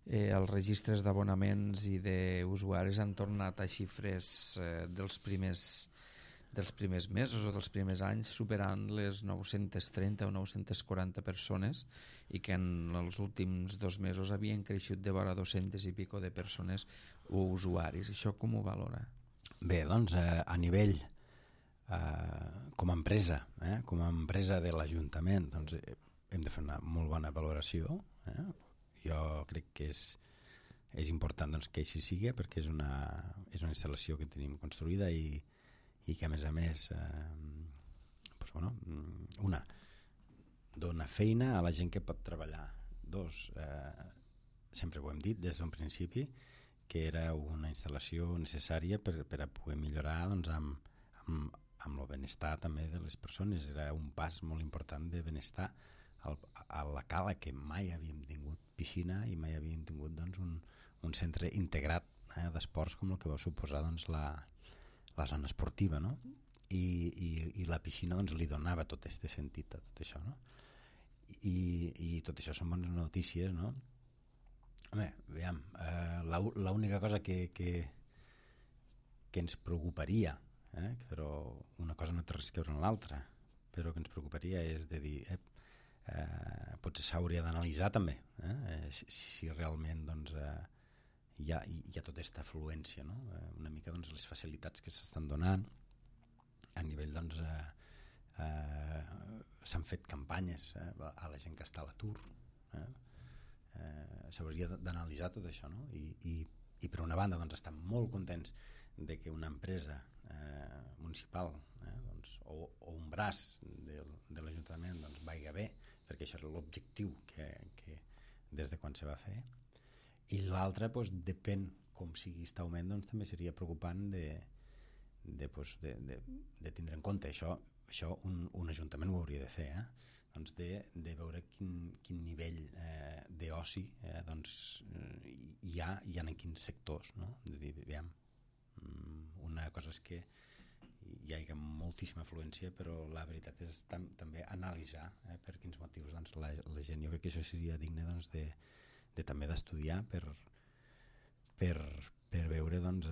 [SPEAKER 1] els registres d'abonaments i d'usuaris han tornat a xifres dels primers mesos o dels primers anys, superant les 930 o 940 persones, i que en els últims 2 mesos havien creixut de vora 200 i pico de persones o usuaris. Això com ho valora?
[SPEAKER 2] Bé, doncs a nivell com a empresa, de l'Ajuntament, doncs, hem de fer una molt bona valoració. Jo crec que és important doncs, que així sigui, perquè és una instal·lació que tenim construïda i que a més doncs, bueno, una, dona feina a la gent que pot treballar. Dos, sempre ho hem dit des d'un principi, que era una instal·lació necessària per a poder millorar doncs, amb el benestar també de les persones. Era un pas molt important de benestar a la Cala, que mai havíem tingut piscina i mai havíem tingut doncs, un centre integrat d'esports com el que va suposar doncs, la zona esportiva, no? I la piscina doncs, li donava tot aquest sentit a tot això, no? I tot això són bones notícies, no? Home, veiem, l'única cosa que ens preocuparia, però una cosa no té res a veure amb l'altra, però que ens preocuparia és de dir potser s'hauria d'analitzar també si realment doncs, hi ha tota aquesta afluència, no? Una mica doncs, les facilitats que s'estan donant a nivell doncs, s'han fet campanyes a la gent que està a l'atur, s'hauria d'analitzar tot això, no? I per una banda doncs, estem molt contents de que una empresa municipal doncs, o un braç de l'Ajuntament doncs, vagi bé, perquè això era l'objectiu que des de quan se va fer, i l'altre doncs, depèn com sigui aquest augment, doncs, també seria preocupant de tindre en compte això un ajuntament ho hauria de fer, doncs de veure quin nivell d'oci doncs, hi ha en quins sectors, no? De dir, veiem, una cosa és que hi ha moltíssima afluència, però la veritat és també analitzar per quins motius doncs, la gent, jo crec que això seria digne doncs, de també d'estudiar per veure doncs,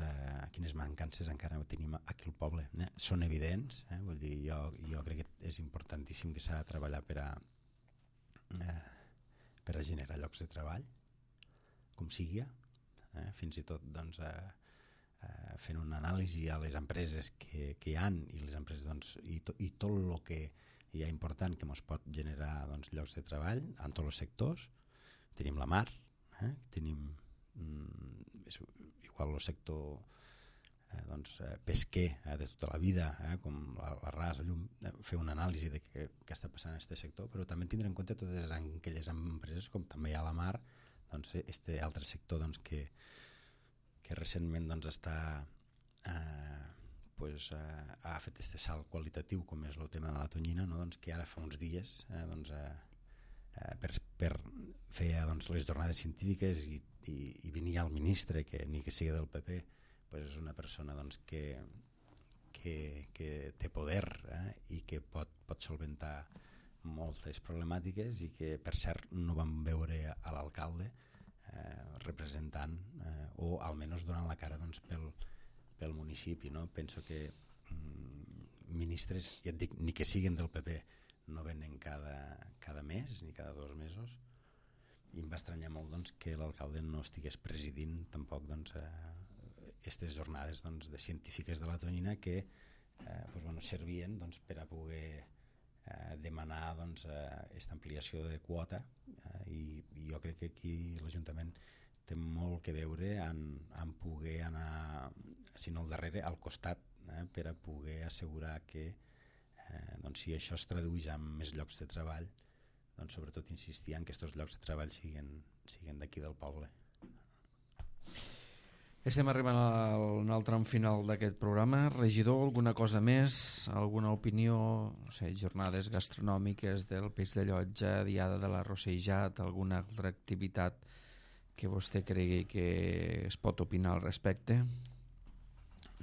[SPEAKER 2] quines mancances encara tenim aquí al poble. Són evidents, vull dir, jo crec que és importantíssim que s'ha de treballar per a generar llocs de treball, com sigui, fins i tot doncs, fent una anàlisi a les empreses que hi ha i les empreses doncs, i tot el que hi ha important que ens pot generar doncs, llocs de treball en tots els sectors. Tenim la mar, tenim igual el sector doncs, pesquer de tota la vida, com l'arràs, el llum, fer una anàlisi de què està passant en aquest sector, però també tindre en compte totes aquelles empreses com també hi ha a la mar, doncs, este altre sector doncs, que recentment doncs, ha fet aquest salt qualitatiu com és el tema de la tonyina, no? Doncs, que ara fa uns dies doncs, per fer doncs, les jornades científiques i venia el ministre, que ni que sigui del PP, doncs és una persona doncs, que té poder i que pot solventar moltes problemàtiques i que per cert no vam veure a l'alcalde representant o almenys donant la cara doncs, pel municipi, no? Penso que ministres, ja et dic, ni que siguin del PP, no venen cada mes ni cada 2 mesos, i em va estranyar molt doncs, que l'alcalde no estigués presidint tampoc doncs, aquestes jornades doncs, de científiques de la tonyina que doncs, bueno, servien doncs, per a poder demanar doncs, aquesta ampliació de quota i jo crec que aquí l'Ajuntament té molt que veure en poder anar, si no al darrere, al costat, per a poder assegurar que doncs, si això es tradueix en més llocs de treball, doncs, sobretot insistir en que aquests llocs de treball siguin d'aquí del poble.
[SPEAKER 1] Estem arribant al tram final d'aquest programa. Regidor, alguna cosa més? Alguna opinió? No sé, jornades gastronòmiques del Peix de Llotja, diada de la Rossejat, alguna altra activitat que vostè cregui que es pot opinar al respecte?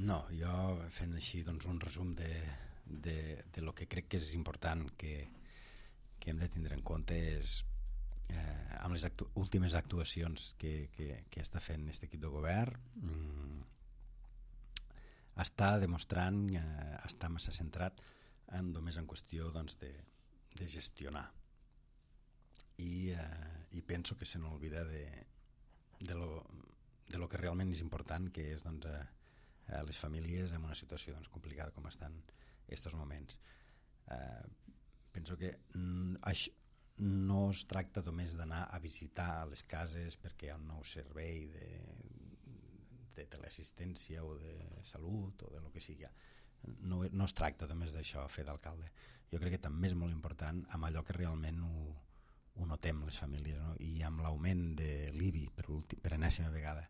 [SPEAKER 2] No, jo fent així doncs, un resum de lo que crec que és important que hem de tindre en compte és amb les últimes actuacions que està fent aquest equip de govern està demostrant està massa centrat només en qüestió doncs, de gestionar i penso que se n'olvida de lo que realment és important, que és doncs, les famílies en una situació doncs, complicada com estan aquests moments. Penso que no es tracta només d'anar a visitar les cases perquè hi ha un nou servei de teleassistència o de salut o de lo que sigui. No es tracta només d'això, fer d'alcalde. Jo crec que també és molt important amb allò que realment ho notem les famílies, no? I amb l'augment de l'IBI per enèsima vegada,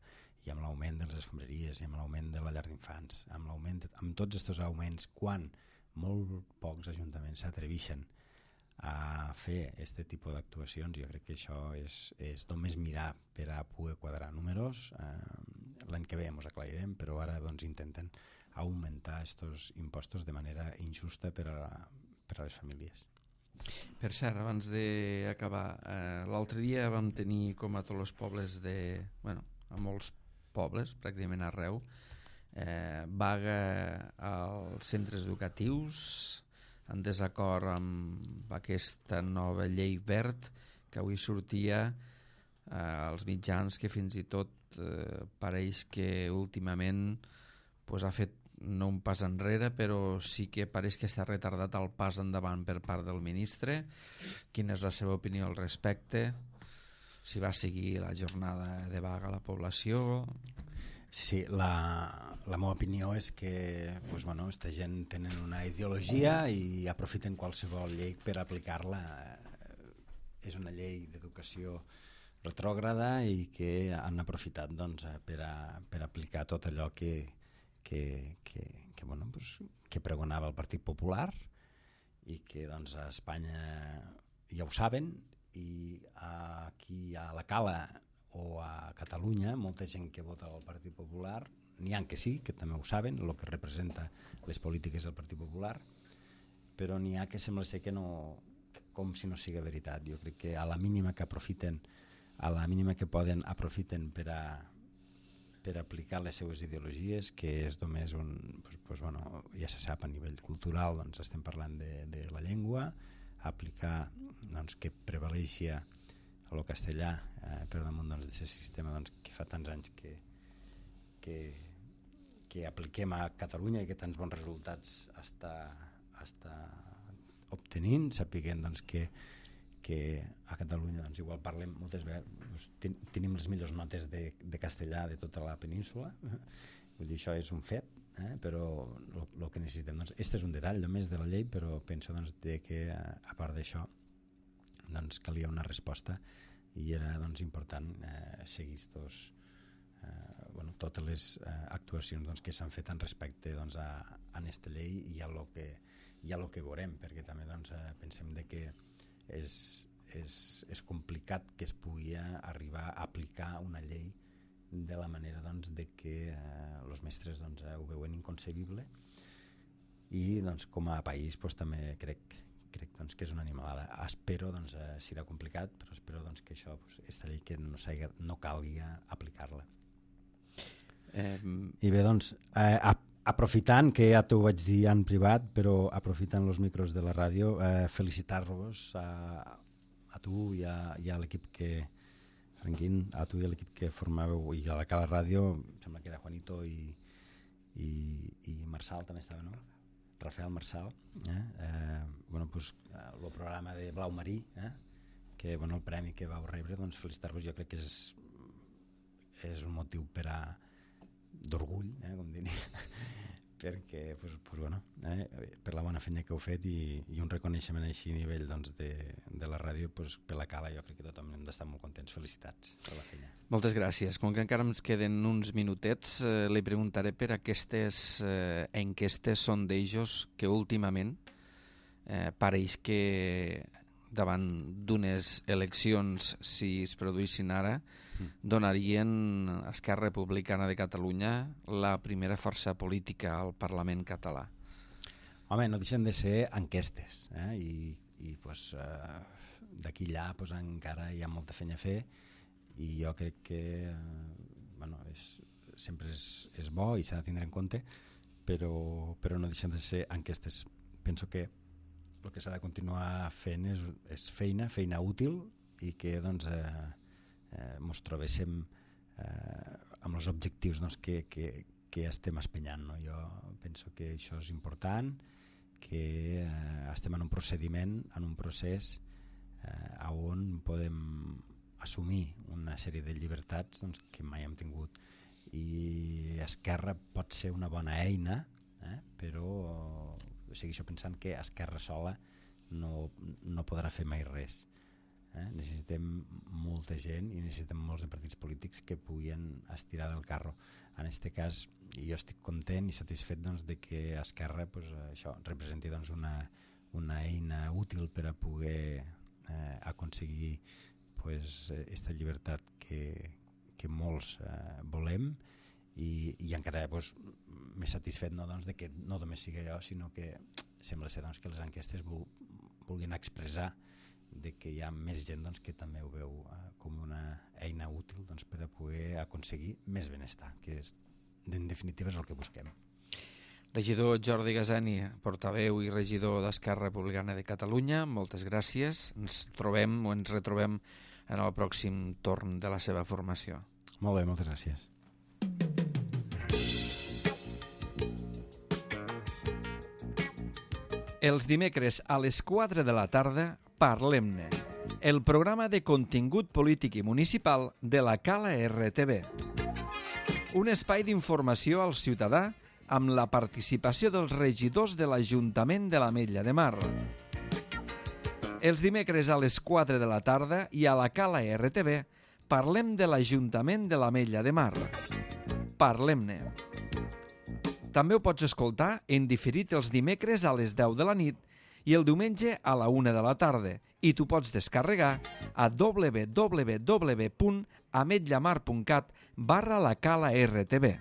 [SPEAKER 2] i amb l'augment de les escombraries, i amb l'augment de la llar d'infants, amb tots aquests augments, quan molt pocs ajuntaments s'atreveixen a fer aquest tipus d'actuacions, jo crec que això és només mirar per a poder quadrar números. L'any que ve ens aclarirem, però ara doncs, intenten augmentar aquests impostos de manera injusta per a les famílies.
[SPEAKER 1] Per cert, abans d'acabar, l'altre dia vam tenir, com a tots els pobles a molts pobles, pràcticament arreu, vaga als centres educatius en desacord amb aquesta nova llei verd que avui sortia als mitjans, que fins i tot pareix que últimament ha fet no un pas enrere, però sí que pareix que està retardat el pas endavant per part del ministre. Quina és la seva opinió al respecte? Si va seguir la jornada de vaga a la població?
[SPEAKER 2] Sí, la meva opinió és que aquesta gent tenen una ideologia i aprofiten qualsevol llei per aplicar-la. És una llei d'educació retrògrada i que han aprofitat per aplicar tot allò que pregonava el Partit Popular i que a Espanya ja ho saben, i aquí a la Cala o a Catalunya molta gent que vota al Partit Popular, n'hi ha que sí, que també ho saben, el que representa les polítiques del Partit Popular, però n'hi ha que sembla ser que no, com si no sigui veritat. Jo crec que a la mínima que aprofiten, a la mínima que poden, aprofiten per aplicar les seues ideologies, que és només ja se sap, a nivell cultural estem parlant de la llengua, aplicar que prevaleixi el castellà per damunt d'aquest sistema que fa tants anys que apliquem a Catalunya i que tants bons resultats està obtenint, sapiguem que a Catalunya igual parlem moltes vegades, tenim les millors notes de castellà de tota la península, vull dir, això és un fet, però el que necessitem, este és un detall només de la llei, però penso que a part d'això calia una resposta i era important seguir totes les actuacions que s'han fet en respecte a aquesta llei i a lo que veurem, perquè també pensem que és complicat que es pugui arribar a aplicar una llei de la manera de que els mestres ho veuen inconcebible, i com a país també crec que és una animalada. Espero, serà complicat, però espero que això, aquesta llei que no calgui aplicar-la. I bé, aprofitant, que ja t'ho vaig dir en privat, però aprofitant els micros de la ràdio, felicitar-vos a tu i a l'equip Franquín, a tu i a l'equip que formàveu, i a la Cala Ràdio, em sembla que era Juanito i Marçal també estava, no? Rafael Marçal, el programa de Blau Marí, que el premi que vau rebre, felicitar-vos, jo crec que és un motiu d'orgull, com diria, perquè per la bona feina que heu fet i un reconeixement així a nivell de la ràdio, per la Cala, jo crec que tothom hem d'estar molt contents. Felicitats per la feina.
[SPEAKER 1] Moltes gràcies. Com que encara ens queden uns minutets, li preguntaré per aquestes enquestes, sondejos, que últimament pareix que davant d'unes eleccions, si es produïssin ara, donarien a Esquerra Republicana de Catalunya la primera força política al Parlament català.
[SPEAKER 2] Home, no deixen de ser enquestes, i d'aquí allà encara hi ha molta feina a fer, i jo crec que sempre és bo i s'ha de tindre en compte, però no deixen de ser enquestes. Penso que el que s'ha de continuar fent és feina útil, i que ens trobéssim amb els objectius que estem espenyant. Jo penso que això és important, que estem en un procediment, en un procés on podem assumir una sèrie de llibertats doncs, que mai hem tingut. I Esquerra pot ser una bona eina, però segueixo pensant que Esquerra sola no podrà fer mai res. Necessitem molta gent i necessitem molts de partits polítics que puguin estirar del carro. En aquest cas jo estic content i satisfet doncs, de que Esquerra això representi doncs, una eina útil per a poder aconseguir aquesta llibertat que molts volem i encara més satisfet doncs, de que no només sigui jo, sinó que sembla ser doncs, que les enquestes vulguin expressar de que hi ha més gent doncs, que també ho veu com una eina útil doncs, per a poder aconseguir més benestar, que en definitiva és el que busquem.
[SPEAKER 1] Regidor Jordi Gasani, portaveu i regidor d'Esquerra Republicana de Catalunya, moltes gràcies. Ens retrobem en el pròxim torn de la seva formació.
[SPEAKER 2] Molt bé, moltes gràcies.
[SPEAKER 1] Els dimecres a les 4 de la tarda, Parlem-ne, el programa de contingut polític i municipal de la Cala RTV. Un espai d'informació al ciutadà amb la participació dels regidors de l'Ajuntament de l'Ametlla de Mar. Els dimecres a les 4 de la tarda i a la Cala RTV parlem de l'Ajuntament de l'Ametlla de Mar. Parlem-ne. També ho pots escoltar en diferit els dimecres a les 10 de la nit i el diumenge a la 1 de la tarda i t'ho pots descarregar a www.ametllamar.cat/la Cala RTV.